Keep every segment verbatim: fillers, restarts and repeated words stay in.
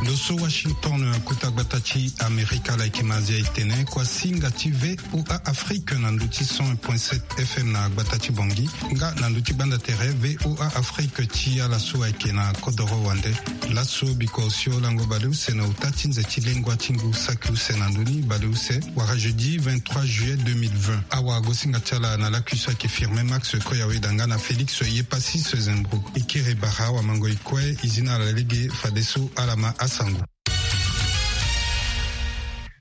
Lo so Washington, kota gbata ti Amerika, ala yeke ma azia e tene kua singa ti VOA Afrique na ndö ti cent un point sept F M na gbata ti Bangui, nga na ndö ti gbanda tere VOA Afrique ti ala so ayeke na kodoro wande. Laso biko osio lango baleuse na ota ti nze ti lengua ti ngu saki use na ndö ni baleuse, wala jeudi vingt-trois juillet deux mille vingt. Awagosinga ti ala na lakui so ayeke Firmin Max Koyaweda nga na Félix Yepassis Zembro. E kiri bara awamango e kue, e zi na ala lege fadeso ala ma asango.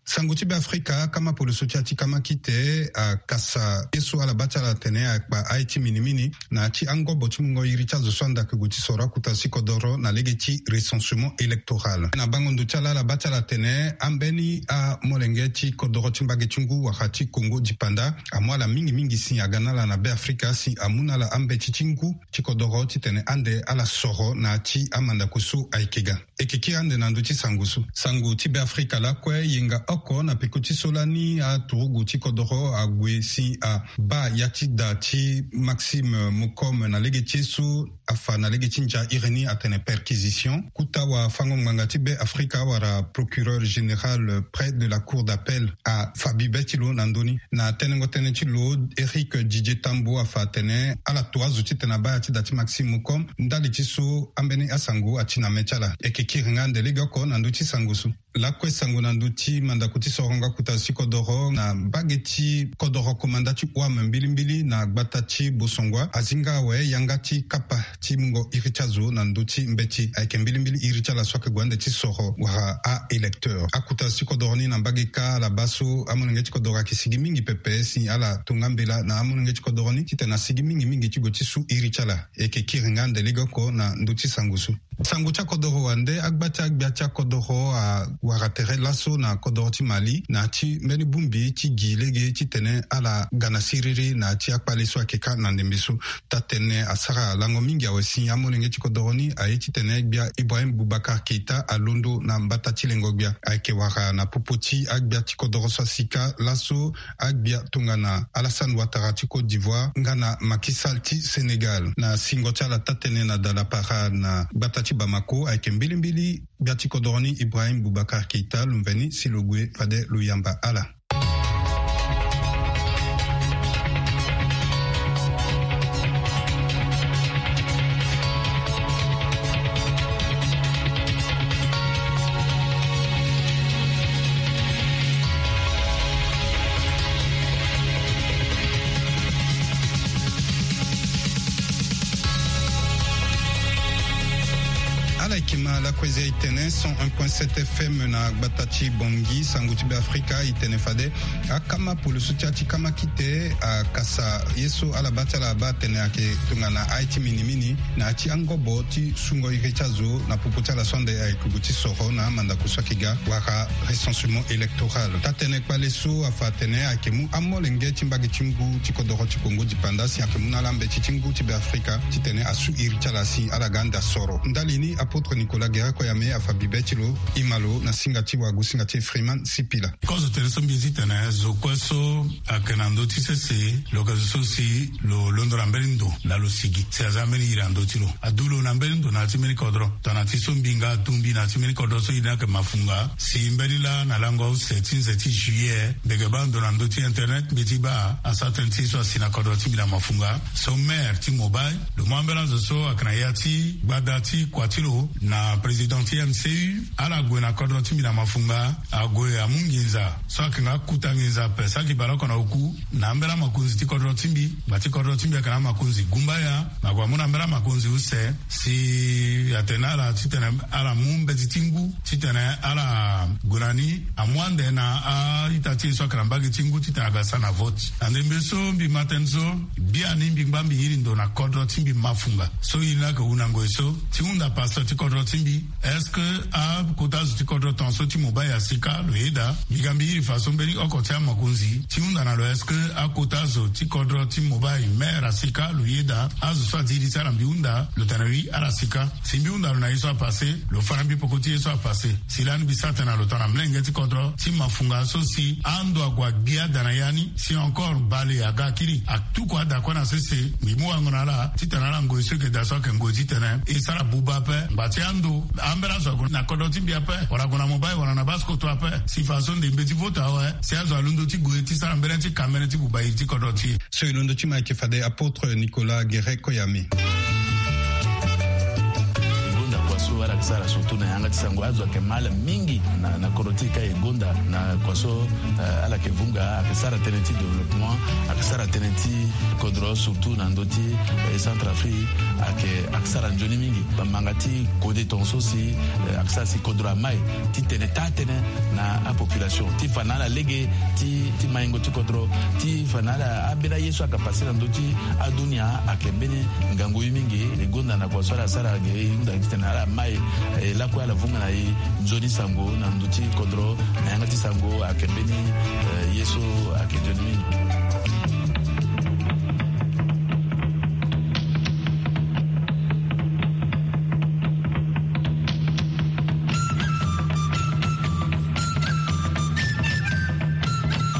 Sango ti Beafrika, akama poloso ti ya ti kama kite akasa ye so ala baa ti ala atene akpa aye ti minimini na ya ti angobo ti mungo iri ti azo so anda ake gue ti soro akuta ti kodoro na lege ti recensement électoral. Na bango ndo ti ala, ala baa ti ala atene ambeni amolenge ti kodoro ti mbage ti ngu wala ti Kongo dipanda amu ala mingi mingi si aga na ala na Beafrika si amu na ala ambeti ti ngu ti kodoro titene ande ala soro na ya ti amandako so ayeke ga. E yeke kiri ande na ndö ti sango so. Sango ti Beafrika lakue, yenga oko na peko ti so lani aturugu ti kodoro ague si abaa ya ti da ti Maxime Moukom na lege ti ye so afa na lege ti ndia iri ni atene perquisition. Kota wafango-ngbanga ti Beafrika wala procureur général près de la cour d'appel afa bibe ti lo na ndö ni. Na tenengo tënë ti lo, Éric Didier Tambo afa atene ala to azo titene abaa ya ti da ti Maxime Moukom ndali ti so ambeni asango ati na me ti ala. E yeke kiri nga ande legeoko na ndö ti sango so. Lakue sango na ndö ti mandako ti sorongo akuta ti kodoro na mbage ti kodoro komanda ti O A M mbilimbili na gbata ti Bosongua azi nga awe yanga ti kapa ti mungo iri ti azo na ndö ti mbeti. Ayeke mbilimbili iri ti ala so ayeke gue ande ti soro wala a-électeur. Akuta ti kodoro ni na mbage kâ ala baa so amolenge ti kodoro ayeke sigi mingi pepe si ala to nga mbela na amolenge ti kodoro ni titene asigi mingi mingi ti gue ti su iri ti ala. E yeke kiri nga ande legeoko na ndö ti sango so. Sango ti akodoro wande, agba ti agbia ti akodoro awara tere laso na kodoro ti Mali na ya ti mbeni bongbi ti gi lege titene ala ga na siriri na ya ti akpale so ayeke kâ na ndembe so. Taa-tënë asara lango mingi awe si amolenge ti kodoro ni aye titene gbia Ibrahim Boubacar Keita alondo na mbata ti lengo gbia. Ayeke wara na popo ti agbia ti kodoro so asi kâ laso, agbia tongana Alassane Ouattara ti Côte d'Ivoire nga na Macky Sall ti Sénégal. Na singo ti ala taa-tënë na Dalapara na gbata ti Bamako, ayeke mbilimbili gbia ti kodoro ni Ibrahim Boubacar Keita lo mveni si lo gue fade lo yamba ala. Ala yeke ma lakue zia e tene cent un point sept F M na gbata ti Bangui. Sango ti Beafrika e tene fade akama poloso ti ya ti kama kite akasa ye so ala baa ti ala abaa atene ayeke tongana aye ti minimini na ya ti angobo ti sungo iri ti azo na popo ti ala so ande ayeke gue ti soro na amandako so ayeke ga wala recensement électoral. Taa-tënë kpale so afa atene ayeke mu amolenge ti mbage ti ngu ti kodoro ti Kongo dipanda si ayeke mu na ala mbeti ti ngu ti Beafrika titene asu iri ti ala si ala ga ande asoro. Ndali ni, apôtre Nicolas Guérin Koyame afa bibe ti lo. E ma lo na singa ti wagosinga ti Freeman Sipila. Kozo tene so mbi zi tene zo kue so ayeke na ndö ti sese, lo yeke zo so si lo londo na mbeni ndo na lo sigi si aza mbeni iri na ndö ti lo. Adu lo na mbeni ndo na ya ti mbeni kodro. Tongana ti so mbi nga adu mbi na ya ti mbeni kodro so iri ni ayeke mafunga. Si mbeni laa na lango use ti nze ti juillet, mbi yeke baa ndo na ndö ti internet, mbi ti baa asara tënë ti so asi na kodro ti mbi na mafunga. So maire ti Mobay, lo mu ambeni azo so ayeke na ya ti gbada ti kua ti lo na président ti M C U, ala gue na kodro ti mbi na mafunga. Ague amu nginza so ayeke nga kota nginza ape, saki baleoko na oku, na ambeni amakonzi ti kodro ti mbi. Gba ti kodro ti mbi ayeke na amakonzi gumbaya. Ague amu na ambeni amakonzi use si atene na ala titene ala mu mbeti ti ngu titene ala gue na ni amu ande na a-ita ti e so ayeke na mbage ti ngu titene aga sara na vote. Na ndembe so mbi ma tënë so, biani mbi ngba mbi iri ndo na kodro ti mbi mafunga. So iri ni ayeke hu na ngoi so ti hunda pasteur ti kodro ti mbi. Est-ce que akota zo ti kodro tongaso ti mobile asika? Lo yeda. Mbi ga mbi iri faso mbeni oko ti amakonzi ti hunda na lo, est-ce que akota zo ti kodro ti mobile maire asika? Lo yeda. Azo so adi iri ti ala mbi hunda lo tene wi ala sika. Si mbi hunda lo na ye so apasse, lo fa na mbi peko ti ye so apasse. Si lani mbi sara tene na lo tongana molenge ti kodro ti mafunga so si ando ague agbia da na ya ni, si encore bale aga akiri atuku ada kue na sese. Mbi mu wango na ala titene ala ngoi so eke da so ayeke ngoi titene e sara buba ape. Ngba ti ando ambeni azo ague na kodro ti mbi ape, wala ague na mobile wala na base koto ape. Si faso nde mbeti vote awe, si azo alondo ti gue ti sara mbeni ti ka mbeni ti buba iri ti kodro ti e. So e londo ti ma ayeke fade apôtre Nicolas Guéret Koyame. E gonda kua so ala yeke sara surtout na yanga ti sango, azo ayeke mal mingi na, na kodro ti e ka e gonda na kua so, eh, ala yeke vunga, ayeke sara tënë ti développement, ayeke sara tënë ti kodro surtout na ndö ti, eh, Centrafrique, ayeke, ayeke sara nzoni mingi. Bamanga ti kode tongaso si, eh, ayeke sara si kodro amai ti tene taa tënë na apopulation ti fa na ala lege ti, ti maingo ti kodro, ti fa na ala ambeni aye so ayeke passe na ndö ti adunia ayeke mbeni ngangu ye mingi. E gonda na kua so ala sara ge e hunda titene ala mai, eh, lakue ala vunga na e nzoni sango na ndö ti kodro, na yanga ti sango ayeke mbeni, eh, ye so ayeke nzoni mingi.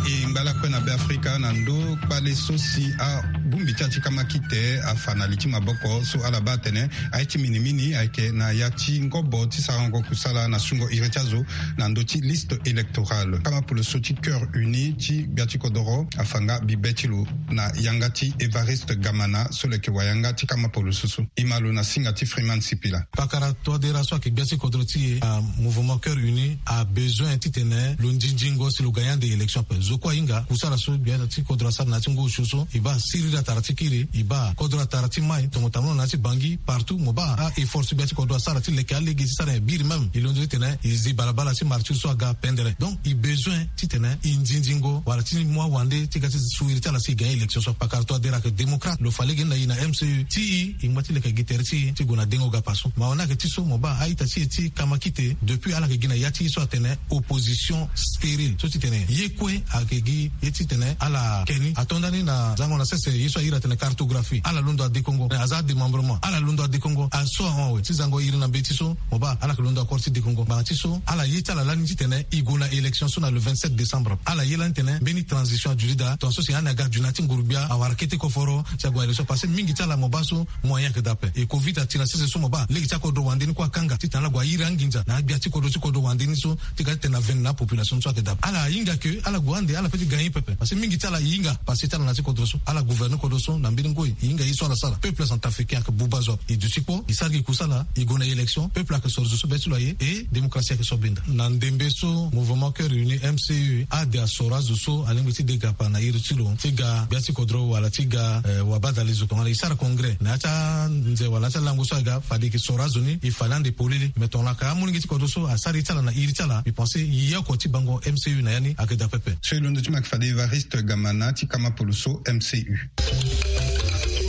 E ngba lakue na Beafrika na ndö kpale so si abongbi ti ya ti kamakite afa na li ti maboko so ala baa atene aye ti minimini ayeke na ya ti ngobo ti sarango kusala na sungo iri ti azo na ndö ti liste électorale. Kamapolo so ti Cœur Uni ti gbia ti kodoro afa nga bibe ti lo na yanga ti Évariste Gamana so lo yeke wayanga ti kamapolo so so. E ma lo na singa ti Freeman Sipila. Pakara Touadéra so ayeke gbia ti kodro ti e, ah, Mouvement Cœur Uni abezoin titene lo nzinzingo si lo ga ya ande élection ape. Zo kue ahinga kusala so gbia ti kodro asara na ya ti ngu osio so, e baa siriri atara ti kiri, e baa kodro atara ti mai, tongo tambula na ya ti Bangui, partout mo baa a-effort so gbia ti kodro asara ti leke alege ti sara nyen biri même. E londo titene e zi balabala ti martyr so aga pendere. Donc e bezoin titene e nzinzingo wala ti mu awande ti ga ti su iri ti ala si e ga élection so. Pakara Touadéra ayeke démocrate, lo fa lege ni na e na M C U ti e, e ngba ti leke gi tere ti e ti gue na dengo gapa so. Mawa ni ayeke ti so mo baa a-ita ti e ti kamakite depuis ala yeke gi na ya ti e so atene opposition stérile, so titene ye kue ayeke gi ye titene ala ke ni. Ato nda ni na zango na sese ye so a iri atene cartographie, ala londo adekongo. Aza adémembrement, ala londo adekongo. Aso ahon awe ti zango iri na mbeti so mo baa ala yeke londo akoro ti dekongo. Ngbanga ti so ala ye ti ala lani titene e gue na élection so na le vingt-sept décembre. Ala ye lani tene mbeni transition aduti daa, tongaso si ani aga dunia ti nguru-gbia awara kete koforo si ague na élection. Parce que mingi ti ala mo baa so moyen ayeke daa ape. E covid ati na sese so mo baa lege ti akodro wande ni kue akanga titene ala gue airi anginza na agbia ti kodro ti kodro wande ni so ti ga titene aveni na apopulation so ayeke daa ape. Ala hinga ke ala gue ande ala peut ti gagner pepe. Parce que mingi ti ala e hinga passé ti ala na ya ti kodro so. Ala gouverner kodro so na mbeni ngoi. E hinga ye so ala sara. Peuple centrafricain ayeke buba zo ape. E duti kpo, e sara gi kusala, e gue na élection, peuple ayeke soro zo so be ti lo aye, e démocratie ayeke so benda. Na ndembe so Mouvement Cœur Uni, M C U, ade asoro azo so alingbi ti de gapa na iri ti lo ti ga gbia ti kodro wala ti ga, eh, wabadale zo tongana e sara congrès na ya ti anze wala na ya ti alango so aga fade e yeke soro azo ni, e fa ni ande polele. Mais tongana ka amolenge ti kodro so asara ye ti ala na iri ti ala, mbi pense ye oko ti bango M C U na ya ni ayeke daa pepe. So e londo ti ma ayeke fade Évariste Gamana ti kamapolo so M C U.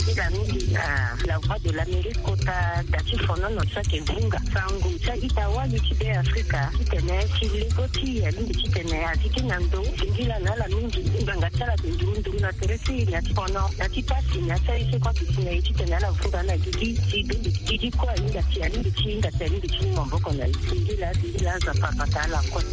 Titene mingi na La Voix de l'Amérique kota da ti fonono so ayeke vunga sango ti a-ita wali ti Beafrika titene ti lego ti e alingbi titene a zi ti na ndo. Singila na ala mingi ngbanga ti ala ayeke nduru nduru na tere ti e na ya ti fono na ya ti pasi na ya ti aye so kue ayeke si na e titene ala vunga na gigi. Si bembe gigi kue ahinga si alingbi ti hinga si alingbi ti mu maboko na e. Singila singila Nzapa abata ala kue.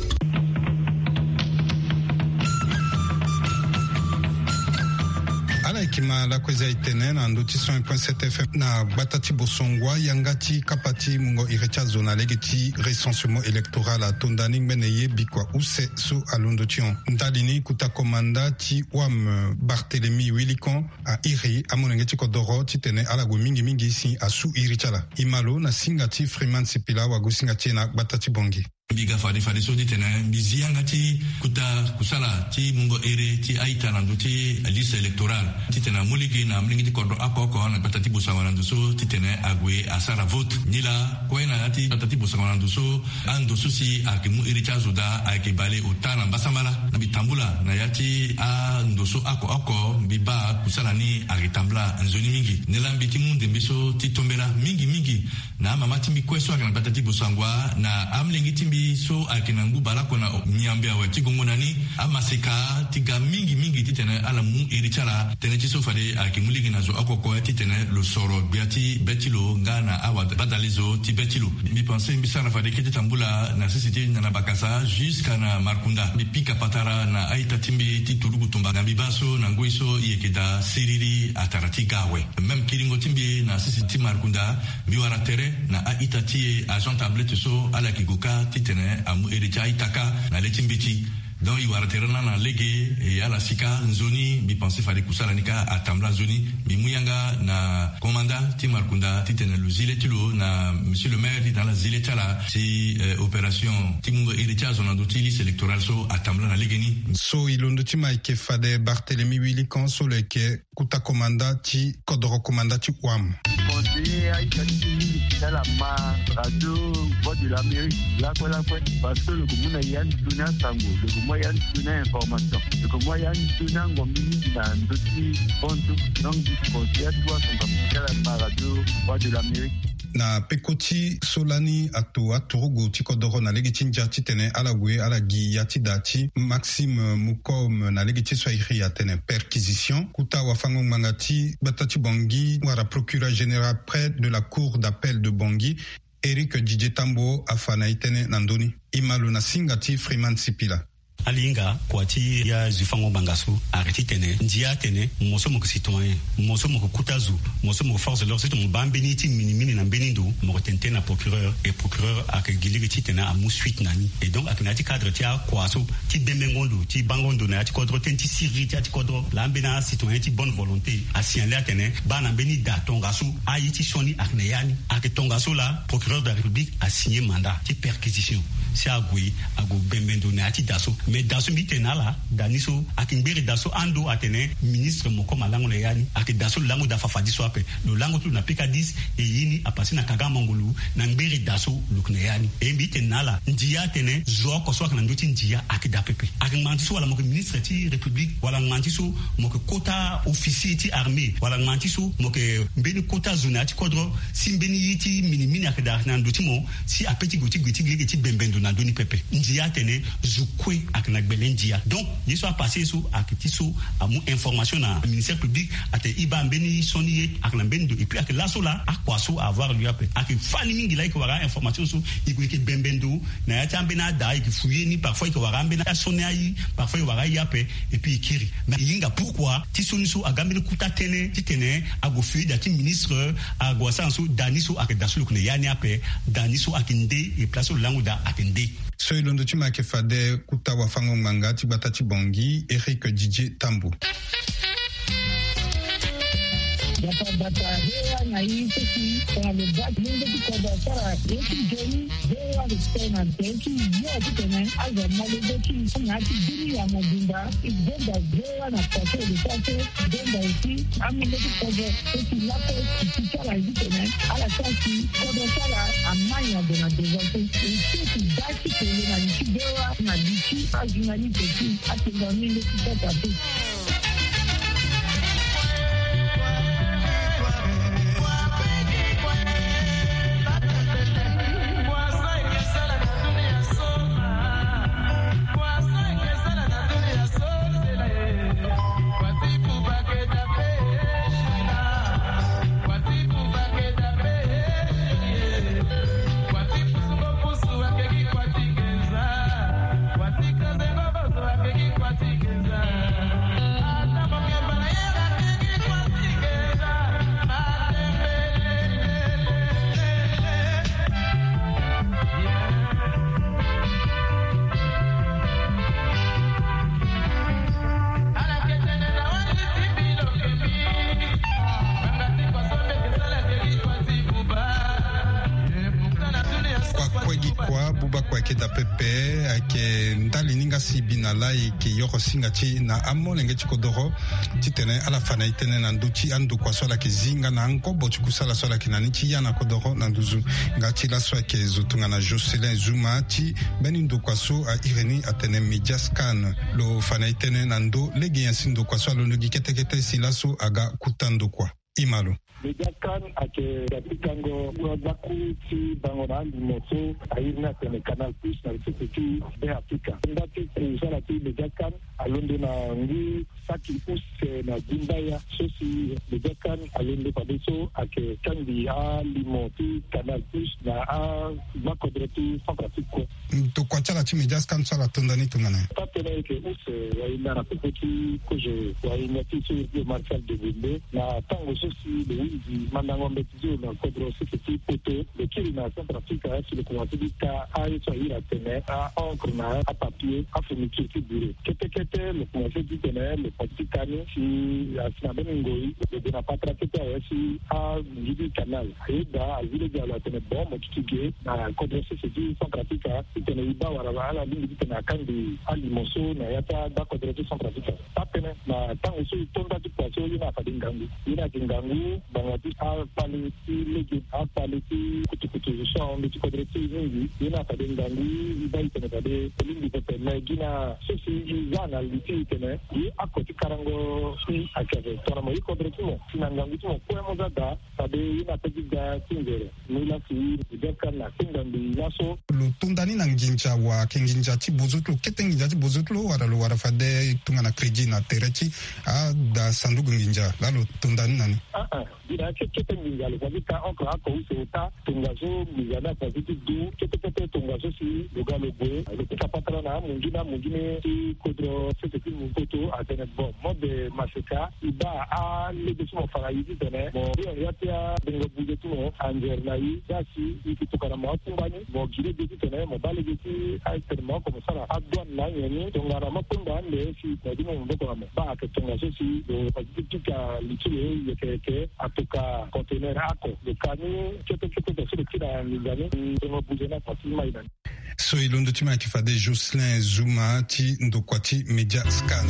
Ala yeke ma lakue za e tene na ndö ti cent un point sept F M na gbata ti Bosongua, yanga ti kapa ti mungo iri ti azo na lege ti recensement électoral ato nda ni ngbene ye bikua use so alondo ti hon. Ndali ni kota komanda ti wam Barthélemy Wilikon a iri amolenge ti kodoro titene ala gue mingi mingi si asu iri ti ala. E ma lo na singa ti Freeman Sipila wagosinga ti e na gbata ti Bangui. Mbi ga fade fadeso titene mbi zi yanga ti kota kusala ti mungo ere ti a-ita na ndö ti liste électorale titene amu lege na amolenge ti kodro oko oko na gbata ti Bosangwa na ndo so titene ague asara vote. Nilaa kue na ya ti gbata ti Bosangwa na ndo so, ando so si ayeke mu iri ti azo daa ayeke bale ota na mbasambala. Mbi tambula na ya ti ando so oko oko mbi baa kusala ni ayeke tambula nzoni mingi. Nilaa mbi ti mu ndembe so ti tombela mingi mingi na amama ti mbi kue so ayeke na gbata ti Bossangoa na amolenge ti mbi so ayeke na ngu baleoko na miambe awe ti gongo na ni, amaseka ti ga mingi mingi titene ala mu iri ti ala. Tënë ti so fade ayeke mu lege na zo oko oko titene lo soro gbia ti be ti lo nga na abadalezo ti be ti lo. Mbi pense mbi sara fade kete tambula na sese ti Nyanabakasa jusqu'à na Markunda. Mbi pika patara na a-ita ti mbi ti turugu tumba na mbi baa so na ngoi so e yeke daa siriri atara ti ga awe. Même kiringo ti mbi na sese ti Markunda, mbi wara tere na a-ita ti e agent tablette so ala yeke gue kâ titene amu iri ti a-ita kâ na le ti mbeti. Donc e wara tere lani na lege, e ala si kâ nzoni. Mbi pense fade kusala ni kâ atambula nzoni. Mbi mu yanga na commandant ti Markunda titene lo zi le ti lo na monsieur le maire titene ala zi le ti ala si, eh, opération ti mungo iri ti azo na ndö ti liste électorale so atambula na legeni. So e londo ti ma ayeke fade Barthélemy Wilikan so lo yeke kota komanda ti kodoro komanda ti Ouam. Conseiller a-ita ti mbi ti ala ma radio Voix de l'Amérique lakue lakue, parce que lo yeke mu na ya ni toni asango, lo yeke mu ya ni toni a-information, lo yeke mu ya ni toni angombi mingi na ndö ti bantu. Donc mbi conseiller atu asango ti ala ma radio Voix de l'Amérique. Na peko ti so lani ato aturugu ti kodoro na lege ti ndia titene ala gue ala gi ya ti da ti Maxime Moukom na lege ti so a iri atene perquisition. Kota wafango-ngbanga ti gbata ti Bangui wala procureur général près de la cour d'appel de Bangui, Éric Didier Tambo, afa na e tënë na ndö ni. E ma lo na singa ti Freeman Sipila. Ala hinga kua ti ya zi fango ngbanga so ayeke titene ndia atene mo so mo yeke citoyen, mo so mo yeke kota zo, mo so mo yeke force de l'ordre, surtout mo baa mbeni ye ti minimini na mbeni ndo, mo yeke tene tënë na procureur, et procureur ayeke gi lege titene amu suite na ni. Et donc ayeke na ya ti cadre ti akua so ti bembengo ndo, ti bango ndo na ya ti kodro, tënë ti siriri ti ya ti kodro. Laa mbeni acitoyen ti bonne volonté asignaler atene baa na mbeni da tongaso aye ti sioni ayeke na ya ni. Ayeke tongaso laa procureur de la République asigner mandat ti perquisition si ague, ague bembe ndo na ya ti da so. Mais da so mbi tene na ala, da ni so ayeke ngbere da so ando atene ministre Moukom alango na ya ni. Ayeke da so lo lango daa fafadi so ape. Lo lango ti lo na P K dix, e ye ni apase na Kaga Mangolo, na ngbere da so lo yeke na ya ni. E mbi tene na ala, ndia atene zo oko so ayeke na ndö ti ndia ayeke daa pepe. Ayeke ngbanga ti so wala mo yeke ministre ti République, wala ngbanga ti so mo yeke kota officier ti armée, wala ngbanga ti so mo yeke mbeni kota zo na ya ti kodro, si mbeni ye ti minimini ayeke daa na ndo ti mo, si ape ti gue ti gue ti gi lege ti bembe ndo na ndö ni pepe. Ndia atene zo kue ayeke na gbele ndia. Donc ye so apase so ayeke ti so amu information na ministère public atene e baa mbeni sioni ye ayeke na mbeni ndo. Et puis ayeke laso laa akua so a avoir lieu ape. Ayeke fani mingi laa e yeke wara a-information so e gue e yeke bembe ndo na ya ti ambeni ada, e yeke fouiller ni, parfois e yeke wara ambeni asioni aye, parfois e wara aye ape. Et puis e kiri. Mais e hinga pourquoi ti sioni so aga mbeni kota tënë titene ague fouiller da ti ministre, ague asara so da ni so ayeke da so lo yeke na ya ni ape. Da ni so ayeke nde, e place so lo lango daa ayeke nde. So e londo ti ma ayeke fade kota wafango-ngbanga ti gbata ti Bangui, Éric Didier Tambo. Gbata gbata, V O A na e so si tongana lo baa ti lenge ti kodro asara ye ti nzoni, V O A respect na nze ti yo titene azo amolenge ti e na ya ti bini ya mobimba. E gonda V O A na kua so e lo sara so, e gonda aussi amolenge ti kodro so si lakue e si ti ala ye titene ala sara si kodro ti ala ama nyango na devant so. E si e si baa ti kele na li ti V O A na li ti ajournaliste ti atenda mingi ti kota te. Wa buba kua eke da pepe. Eke ndali ni nga si bi na la eke yoro singa ti na amolenge ti kodoro titene ala fa na e tënë na ndö ti andokua so ala yeke zi nga na angobo ti kusala so ala yeke na ni ti ya na kodoro na nduzu. Nga ti laso ayeke zo tongana Jocelyn Zuma ti mbeni ndokua so a iri ni atene Mediascan. Lo fa na e tënë na ndö lege nyen si ndokua so alondo gi kete kete si laso aga kuta ndokua. Imalo. Mediascan ayeke ga ti kango kura gbaku ti bango na alimo so a iri ni atene Canal Plus na lisese ti Be Afrika. Nda ti kusala ti Mediascan alondo na ngu saki use na gumbaya so si Mediascan alondo fadeso ayeke kangbi alimo ti Canal Plus na agbakodro ti Centrafrique kue. Ndokua ti ala ti Mediascan so ala to nda ni tongana nyen? Taa tënë ayeke use wahinda na popo ti kozo wahinda ti so iri ti Marcel Degonde na tango so si lo hunzi mandango mbeti ti lo na kodro sese ti poto, lo kiri na Centrafrique si lo komanse ti ka aye so a iri atene a-encre na apapier, afourniture ti bureau. Kete kete lo komanse titene lo komanse ti ka ni si asi na mbeni ngoi lo gue na patara kete awe si angidi canal. Ayeda azi lege na lo atene bon mo duti ge na kodro sese ti Centrafrique titene e baa wala ala lingbi titene akangbi alimo so na ya ti agbakodro ti Centrafrique. Taa tënë na tango so e to nda ti kua so ye ni afade ngangu. Ye ni ayeke ngangu ngbanga ti akpale ti lege, akpale ti kutukutu so ahon ndö ti kodro ti e mingi. Ye ni afade ngangu e baa e tene fade e lingbi pepe. Me gi na so si e za na li ti e tene ye ako ti karango si ayeke ape tongana mo ye kodro ti mo si na ngangu ti mo kue mo za daa. Fade ye ni ape ti ga ti nzere. Ni laa si e bia ka na atenga ngbii laso. Lo to nda ni na nginza wa ayeke nginza ti bozo ti lo kete nginza ti bozo ti lo wala lo wara fade tongana crédit na tere ti ada sanduku nginza laa lo to nda ni na ni. Aa, gi na ya ti kete nginza lo fa ti ka encre ako use ota. Tongaso nginza ni afa ti du kete kete tongaso si lo ga lo gue lo pika patara na amunzu na amunzu ni ti kodro sese ti mu koto atene bon mode maseka. E baa alege so mo fa na e titene mo ri na ya ti abongo buze ti mo anzere na e. Za si e yeke tokana mo akungba ni mo gi lege titene mo baa lege ti atene mo oko mo sara adouane na anyen ni tongana mo kungba ande si mo gi mo maboko na mo. Baa ayeke tongaso si lo fa ti ti pika li ti lo yeke yeke atoka conteneur ako lo ka ni kete kete so lo kiri na nginza ni. Bongo buze ni afa ti mai na ni. So e londo ti ma ayeke fade Jocelyn Zuma ti ndokua ti Media Scan.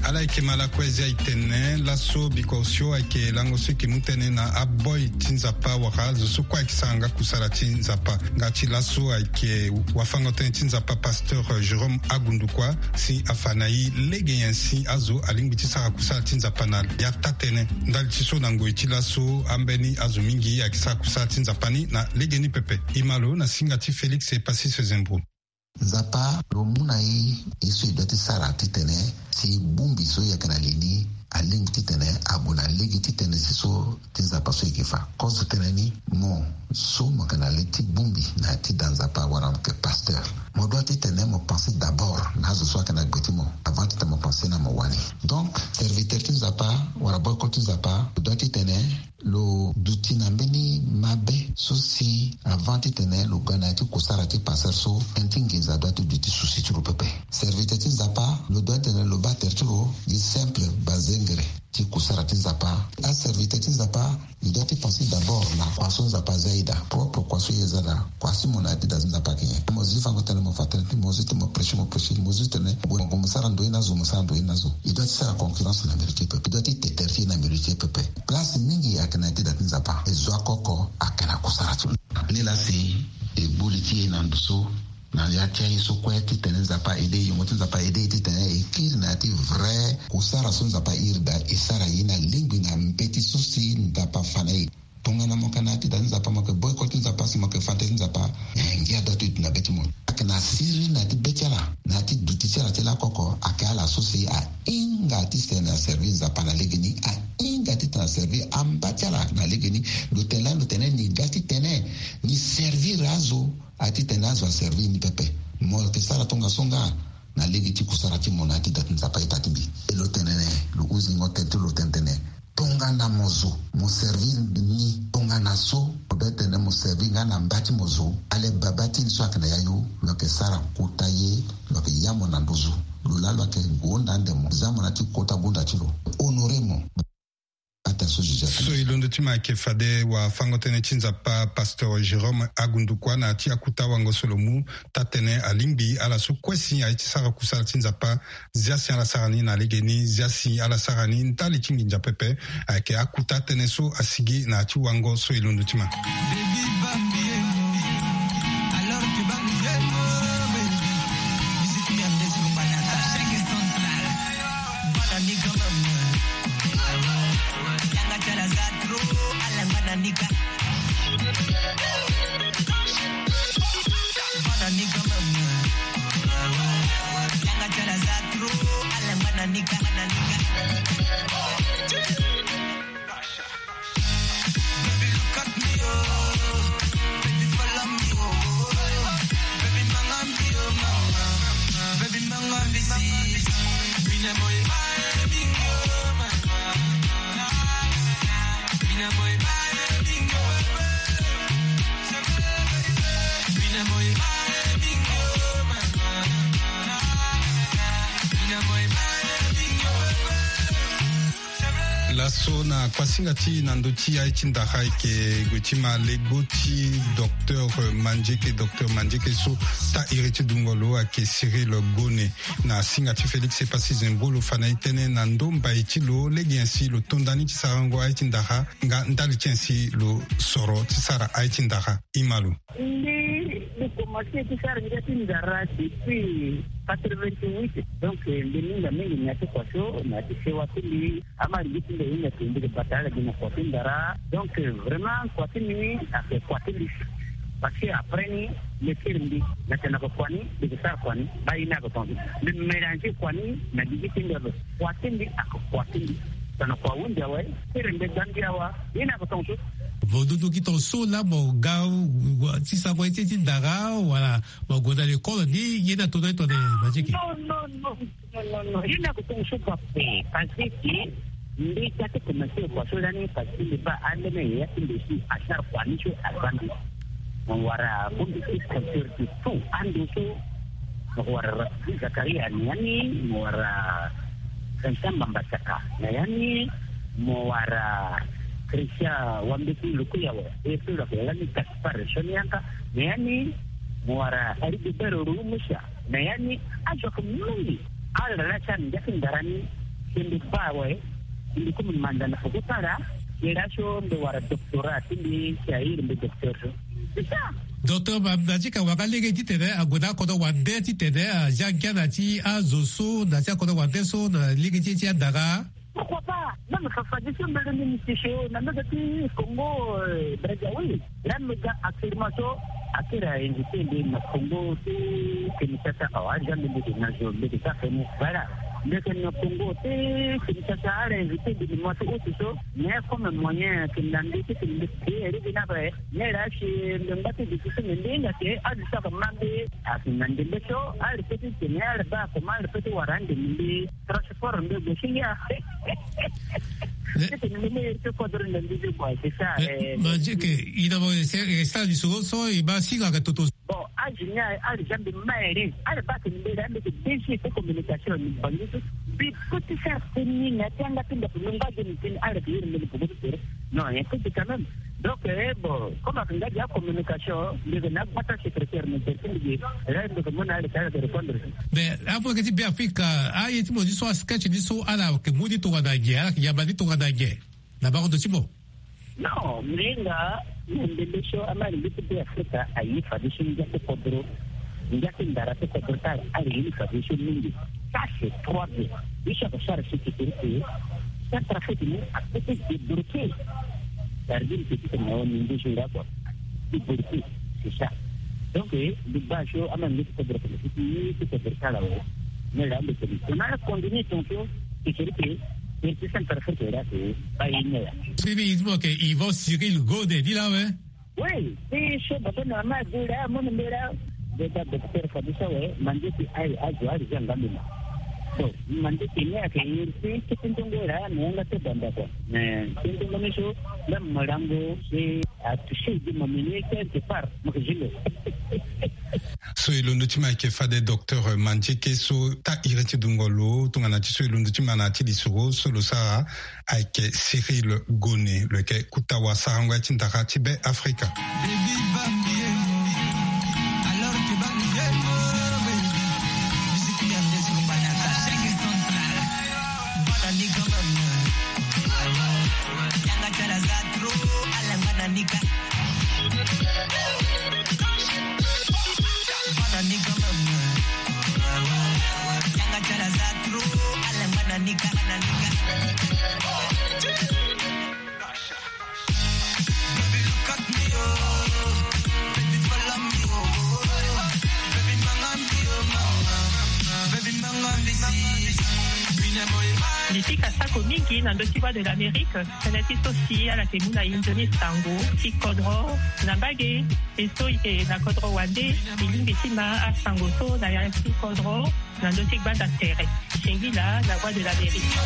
Ala yeke ma lakue zi aye tene laso biko osio ayeke lango so yeke mu tënë na aboi ti Nzapa wala azo so kue ayeke sara nga kusala ti Nzapa. Nga ti laso ayeke wafango-tënë ti Nzapa pasteur Jérôme Agundukua si afa na e lege nyen si azo alingbi ti sara kusala ti Nzapa na ya taa-tënë. Ndali ti so na ngoi ti laso ambeni azo mingi ayeke sara kusala ti Nzapa ni na legeni pepe. E ma lo na singa ti Félix Epasis Zembro. Nzapa lo mu na e ye so e doit ti sara titene si bongbi so e yeke na li ni alingbi titene ague na lege ti tënë ti so ti Nzapa so e yeke fa. Kozo tënë ni mo so mo yeke na li ti bongbi na ya ti da Nzapa wala mo yeke pasteur, mo doit titene mo pense d'abord na azo so ayeke na gbe ti mo avant titene mo pense na mo wani. Donc serviteur ti Nzapa wala boycott ti Nzapa lo doit titene lo duti na mbeni mabe so si avant titene lo ga na ya ti kusara ti pasteur so, tënë ti nginza doit ti duti souci ti lo pepe. Serviteur ti Nzapa lo doit titene lo baa tere ti lo gi simple bazengere ti kusara ti Nzapa. Aserviteur ti Nzapa e doit ti pense d'abord na kua so Nzapa aza e daa, propre kua so e za daa. Kua si mo na ya ti da ti Nzapa ayeke nyen? Mo zi fango tënë mo fa tënë ti mo zi ti mo prêcher mo prêcher mo zi tënë mo gue mo sara ndoye na zo mo sara ndoye na zo. E doit ti sara concurrence na mbiro ti e pepe. E doit ti te tere ti e na mbiro ti e pepe. Place mingi ayeke na ya ti da ti Nzapa. E zo oko oko ayeke na kusara ti lo. Ni laa si e gbu li ti e na ndo so na ya ti aye so kue titene Nzapa aide e, yongo ti Nzapa aide e titene e kiri na ya ti vrai kusara so Nzapa airi daa e sara ye na lingbi na mbeti so si Nzapa afa na e. Tongana mo yeke na ya ti da ti Nzapa mo yeke boycott ti Nzapa si mo yeke fa tënë ti Nzapa, eh, ngia doit ti duti na be ti mo. Ayeke na siriri na ya ti be ti ala na ya ti duti ti ala ti lakoko ayeke ala so si ahinga titene aservi Nzapa na legeni, ahinga titene aservi amba ti ala na legeni. Lo tene laa lo tene ni ga titene ni servir azo. A ti tene azo aservi ni pepe. Mo yeke sara tongaso nga na lege ti kusara ti mo na ya ti da ti Nzapa ita ti mbi. E lo tene lo huzingo tënë ti lo tene tene tongana mo zo mo servi ni Nga na so mo be tene mo servi nga na mba ti mo zo, ale baba ti ni so ayeke na yayu, lo yeke sara kota ye, lo yeke ya mo na nduzu. Lo laa lo yeke gonda ande mo, za mo na ti kota gunda ti lo, honore mo. Ata so Joseph. So e londo ti ma ayeke fade wafango-tënë ti Nzapa, Pasteur Jérôme Agundukua, na ya ti akuta wango so lo mu taa-tënë alingbi ala so kue si aye ti sara kusala ti Nzapa. Zia si ala sara ni na legeni, zia si ala sara ni ndali ti nginza pepe. Ayeke akuta tënë so asigi na ya ti wango so e londo ti ma. Laso na kuasinga ti na ndö ti aye ti ndara ayeke gue ti ma lego ti docteur Mandieke, docteur Mandieke so taa iri ti dungo lo ayeke Cyril Gone. Na singa ti Félix Epassi Zembolo fa na e tënë na ndö mbai ti lo lege nyen si lo to nda ni ti sarango aye ti ndara nga ndali ti nyen si lo soro ti sara aye ti ndara. Ima lo. Mbi, mbi komanse ti sara ngia ti ndara depuis quatre-vingt-huit. Donc mbi mingi mingi na ya ti kua so na ya ti sewa ti mbi. Ama lingbi ti mbi ahinga ti mbi ke bata ala gi na kua ti ndara. Donc vraiment kua ti mbi ni ayeke kua ti mbi. Parce que après ni, mbi kiri mbi na tene na kua ni, mbi ke sara kua ni, baa ye ni ayeke tongaso. Mbi mélanger kua ni na gigi ti mbi ape. Kua ti mbi ayeke kua ti mbi. Tongana kua ahunzi awe, kiri mbi gbangbi awa, ye ni ayeke tongaso. Vo dudu gi tongaso laa mo ga ti sango ye ti ndara wala mo gue na lekole ni, ye ni ato na ye tongana Mandieke? Non, non, non. Non, non, non. Ye ni ayeke tongaso kua ape. Parce que mbi ga ti komanse kua so lani, parce que mbi baa ambeni yaya ti mbi si asara kua ni so aza mbi. Mo wara bongbi ti culture ti tout ando so. Mo wara Zakaria ni yani, mo wara Vincent Mbamba Saka na yani, mo wara Christian Wambeti Lukuyawa, e so lo yeke lani Gaspard Sonianka na yani, mo wara Rigobert Rumusa na yani. Azo ayeke mingi. Ala laa ti ala ngia ti ndara ni. Si mbi baa awe, si mbi komi manda na peko ti ala, si laa so mbi wara doctorat ti mbi, si a iri mbi docteur so. C'est ça. Docteur Mandieke, wanga lege titene ague na akodro wande titene azia ngia na ti azo so na ti akodro wande so na lege ti e ti andara. Pourquoi pas? Même Fafa Diso mbele ni mbi ti so na mbege ti Congo, euh, Brazzaville. Là mbi ga actuellement so akiri a invité mbi na Congo ti Kinshasa awa, aza mbi mbi ke na zo mbi ke sa feni. Voilà. Mbi ke na Congo ti Kinshasa, ala invité mbi na mois ti août so. Mais comme moyen ke na mbi ti ke mbi ke eri bi na be. Mais là si mbi ngba ti décision mbi mbi hinga ke azo so ake ma mbi. Ake na ndembe so ala pe ti tene, ala baa comment ala pe ti wara ande mbi. Transport mbi gue si ngia. Titene mbi me iri ti kodro na mbi ti kua, c'est ça. Mais, eh, Mandieke, i na mo, c'est, c'est ça, lisoro so e baa si nga ke toto. Bon, âge ni aye, âge ni mbi ma iri. Ala baa tene mbi la mbi ke D G ti communication ni bangi so. Mbi pe ti sara teni na ti anga ti ndaku ni ngba ge ni teni ala ke iri mbi ni poko ti tere. Non, un peu quand même. Donc, eh, bon, comme ake nga dia communication, mbi ke na gbata secrétaire, mbi ke ti mbi ke, eh, mbi ke mu na ala ti ala ke répondre. Mais amu ake ti Beafrika, aye ti mo ni so, asketch ni so, ala ke mu ni tongana nyen, ala ke yamba ni tongana nyen na bango ndo ti mo? Non, mbi hinga na ndembe so, ama lingbi ti Beafrika aye fadeso ngia ti kodro. Ngia ti ndara ti kodro ti ala, ala ye ni fadeso mingi. Ça c'est trois bien. Ye so ake sara so ti tere ke Centrafrique ni ape ti débloquer. Sardine petit na ni ndeso nga kua. Débloquer, c'est ça. Donc, eh, mbi baa so ama nge ti kodro ti kodro ti kodro ti ala awe. Mais là mbi tene tongana ala continue tongaso, c'est tere ke tere ti Centrafrique là ke baa ye ni ya. Sini i ti mo ke Yvon Cyril Gode ni laa awe. Oui, ti so baba na mama adu laa, amu ni mbi laa. Mbi baa docteur fadeso awe, Mandieke aye azo ala zia nga mbi ma. Bon, mande kene ake yeri te, kete ndongo era na yanga te banda kwa. Mais kete ndongo ni so, la malango se a touché de ma mene quelque part, ma ke jilo. So e londo ti ma ayeke fade docteur Mandieke so taa iri ti dungo lo tongana ti so e londo ti ma na ya ti lisoro so lo sara ayeke Cyril Gone, lo yeke kuta wasarango ya ti ndara ti Be Afrika. Mbi pika sako mingi na ndö ti Voix de l'Amérique. Tënë ti so si ala yeke mu na e nzoni sango ti kodro na mbage. E so e yeke na kodro wande, e lingbi ti ma asango so na ya ti kodro na ndö ti gbanda tere. Singila na Voix de l'Amérique.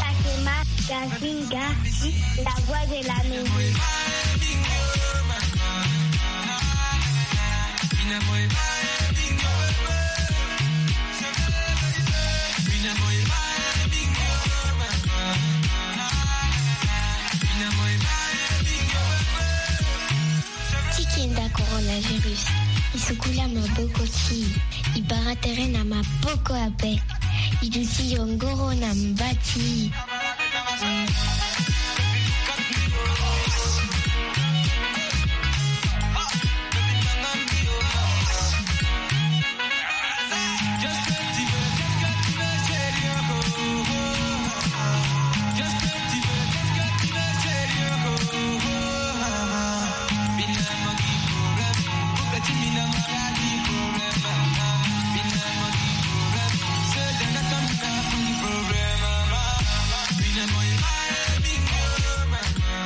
Fatima Gazinga, la voix de l'Amérique. Ti kenda coronavirus, e sukula maboko ti e, e bara tere na maboko ape, e duti yongoro na mba ti e.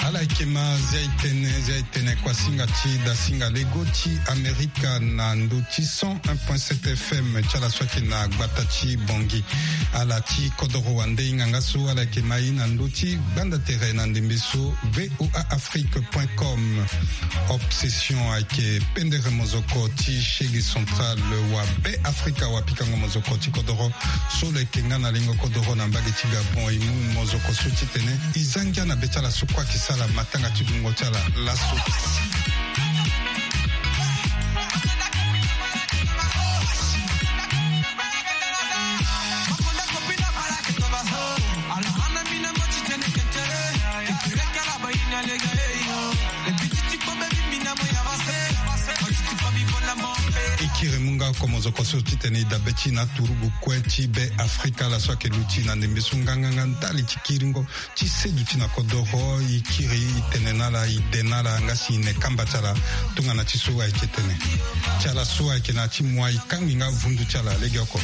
Ala yeke ma zia e tene, zia e tene kuasinga ti dasinga lego ti Amerika na ndö ti cent un point sept F M ti ala so ayeke na gbata ti Bangui. Ala ti kodoro wande hinga nga so ala yeke ma e na ndö ti gbanda tere na ndembe so V O A Afrique point com. Obsession ayeke pendere mozoko ti shege central wa Be Afrika, wa pikango mozoko ti kodoro so lo yeke nga na lengo kodoro na mbage ti Gabon. E mu mozoko so titene e za ngia na be ti ala so kue ayeke sara matanga ti dungo ti ala laso. E kiri mu nga oko mozoko so titene e dabe ti na turugu kue ti Be Afrika, ala so ayeke luti na ndembe so nganganga ndali ti kiringo ti seduti na kodoro. E kiri, e tene na ala, e de na ala, nga si e ne kamba ti ala tongana ti so ayeke tene ti ala so ayeke na ya ti moi, e kangbi nga vundu ti ala legeoko.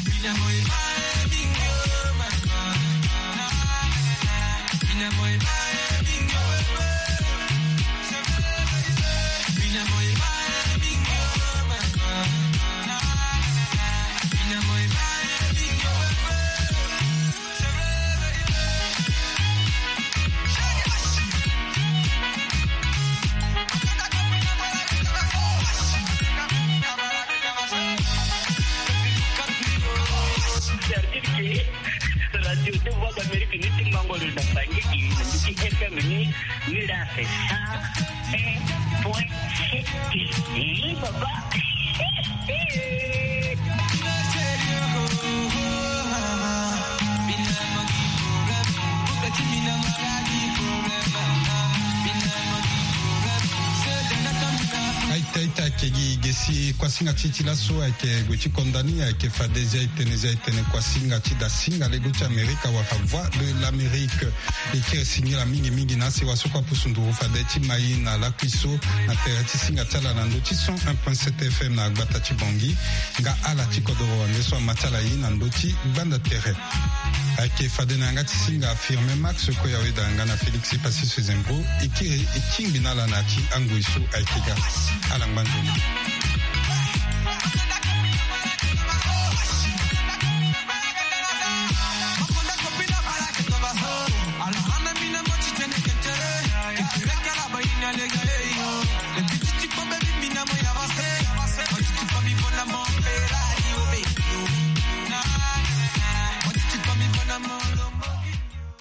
C'est-à-dire que Radio de Voix d'Amérique ni ti mango lo na bangi ki na ndiki F M ni, ni la c'est cent un point sept. Eh, papa. Kuasinga ti ti laso ayeke gue ti konda ni ayeke fade zia etene zia etene kuasinga ti dasinga lego ti Amerika wala Voix de l'Amérique. E kiri singila mingi mingi na asewa so kue apusu nduru fade ti mai na lakui so na tere ti singa ti ala na ndö ti cent un point sept F M na gbata ti Bangui. Nga ala ti kodoro wande so ama ti ala ye na ndö ti gbanda tere. Ayeke fade na yanga ti singa Firmin Max, kue awe da yanga na Félix Passy Sezembro. E kiri e tingbi na ala na ya ti angoi so ayeke ga. Ala ngba nzoni.